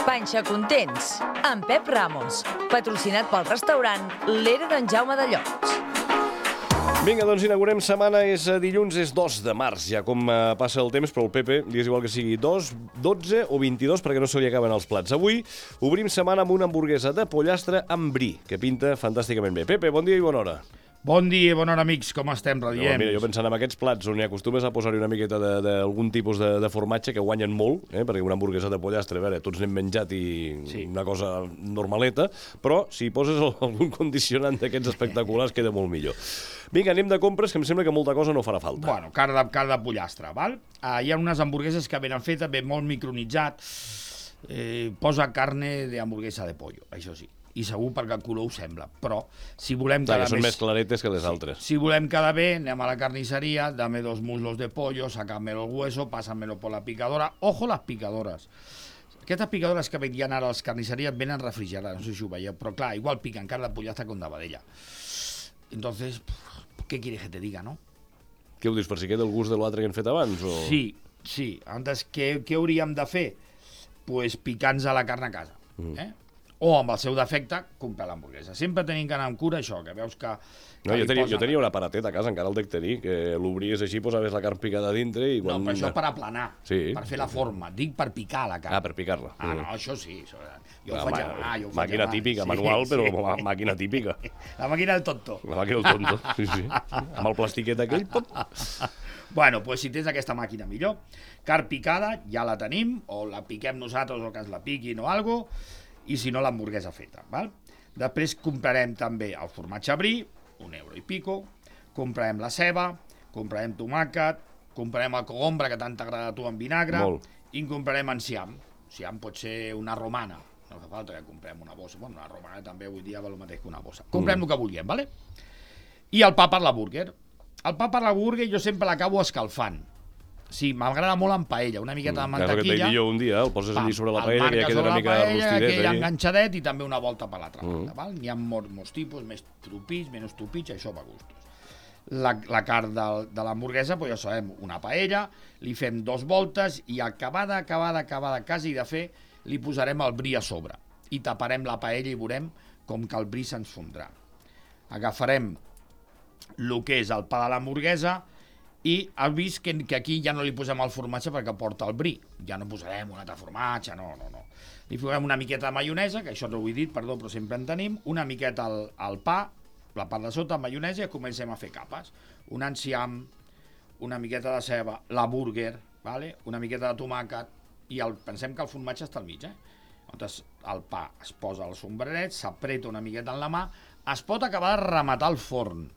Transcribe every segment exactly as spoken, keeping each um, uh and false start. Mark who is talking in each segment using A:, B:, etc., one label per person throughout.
A: Panxa Contents, amb Pep Ramos, patrocinat pel restaurant L'Era d'en Jaume de Llots.
B: Vinga, doncs inaugurem setmana, és dilluns, és dos de març, ja com uh, passa el temps, però el Pepe li és igual que sigui dos, dotze o vint-i-dos perquè no se li acaben els plats. Avui obrim setmana amb una hamburguesa de pollastre amb brie, que pinta fantàsticament bé. Pepe, bon dia i bona hora.
C: Bon dia i bona hora, amics. Com estem, radiem?
B: No, mira, jo pensant en aquests plats on hi acostumes a posar-hi una miqueta d'algun tipus de, de formatge que guanyen molt, eh? Perquè una hamburguesa de pollastre, a veure, tots n'hem menjat i sí. Una cosa normaleta, però si hi poses algun condicionant d'aquests espectaculars queda molt millor. Vinga, anem de compres, que em sembla que molta cosa no farà falta.
C: Bueno, carn de, carn de pollastre, val? Uh, hi ha unes hamburgueses que venen fetes, ben molt micronitzat, eh, posa carne de hamburguesa de pollo, això sí. I segur perquè el color ho sembla, però si volem
B: Clar,
C: quedar
B: són
C: més...
B: més claretes que les
C: sí.
B: altres.
C: Si volem quedar bé, anem a la carnisseria, dame dos muslos de pollo, sacámelo el hueso, pásamelo por la picadora. Ojo las picadoras. Aquestes picadores que vendien ara a les carnisseries venen refrigerades, no sé si ho veieu, però clar, igual pican carn de pollastre con de vedella. Entonces, ¿qué quieres que te diga, no?
B: Què ho dius, per si queda el gust de l'altre que hem fet abans? O...
C: Sí, sí. Antes, què, què hauríem de fer? Pues picar-nos a la carn a casa, mm. eh? O, amb el seu defecte, comprar l'hamburguesa. Sempre tenim que anar amb cura, això, que veus que... que
B: no, jo, tenia,
C: posen...
B: jo tenia un aparatet a casa, encara el dec tenir, que l'obries així, posaves la carn picada a dintre i... Quan...
C: No, però això per aplanar,
B: sí.
C: Per fer la forma. Dic per picar la carn.
B: Ah, per picar-la.
C: Ah, no, això sí. Això... Jo
B: la,
C: ho faig mà, jo ho faig
B: màquina
C: mà.
B: típica,
C: sí,
B: manual,
C: sí.
B: però màquina típica.
C: La màquina del tonto.
B: La màquina del tonto, sí, sí. Amb el plastiquet aquell, pop.
C: Bueno, doncs si tens aquesta màquina millor. Carn picada, ja la tenim, o la piquem nosaltres o que ens la piquin o alguna cosa, i si no l'hamburguesa feta, val? Després comprarem també el formatge brie, un euro i pico, comprarem la ceba, comprarem tomàquet, comprarem el cogombre que tant t'agrada a tu en vinagre,
B: Molt.
C: I en comprarem enciam. Enciam pot ser una romana, no fa falta que comprem una bossa, bueno, una romana també avui dia val el mateix que una bossa. Comprem mm. el que vulguem, vale? I el pa per la burger. El pa per la burger jo sempre l'acabo escalfant. Sí, m'agrada molt en paella, una miqueta de mantequilla.
B: Clar, que t'he dit jo un dia, el poses allí sobre la paella, que ja queda una mica rostidet.
C: Que queda enganxadet i també una volta per l'altra banda, val? N'hi ha molts, molts tipus, més tupits, menys tupits, això va a gustos. La, la carn de, de l'hamburguesa, pues ja sabem, una paella, li fem dos voltes i acabada, acabada, acabada, quasi de fer, li posarem el brie a sobre i taparem la paella i veurem com que el brie se'ns fondrà. Agafarem el que és el pa de l'hamburguesa i has vist que, que aquí ja no li posem el formatge perquè porta el brie. Ja no posarem un altre formatge, no, no, no. Li posem una miqueta de maionesa, que això no ho he dit, perdó, però sempre en tenim, una miqueta al, al pa, la part de sota, maionesa, i comencem a fer capes. Un enciam, una miqueta de ceba, la burger, vale? Una miqueta de tomàquet, i el, pensem que el formatge està al mig, eh? Llavors, el pa es posa al sombreret, s'apreta una miqueta en la mà, es pot acabar de rematar el forn,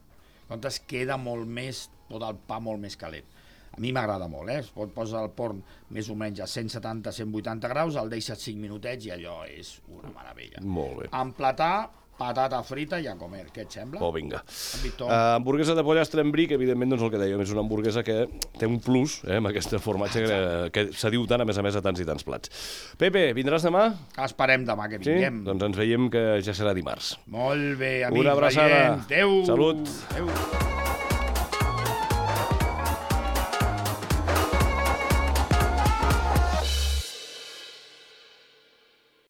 C: llavors queda molt més, tot el pa molt més calent. A mi m'agrada molt, eh? Es pot posar el forn més o menys a cent setanta a cent vuitanta graus, el deixes cinc minutets i allò és una meravella.
B: Molt bé.
C: Emplatar, patata frita i a comer, què et sembla?
B: Oh, vinga. Uh, hamburguesa de pollastre amb brie, que evidentment, doncs el que dèiem, és una hamburguesa que té un plus, eh, amb aquest formatge que, que se diu tant, a més a més, a tants i tants plats. Pepe, vindràs demà?
C: Esperem demà que vinguem.
B: Sí? Doncs ens veiem que ja serà dimarts.
C: Molt bé, amics.
B: Una abraçada.
C: Adéu.
B: Salut.
C: Adéu.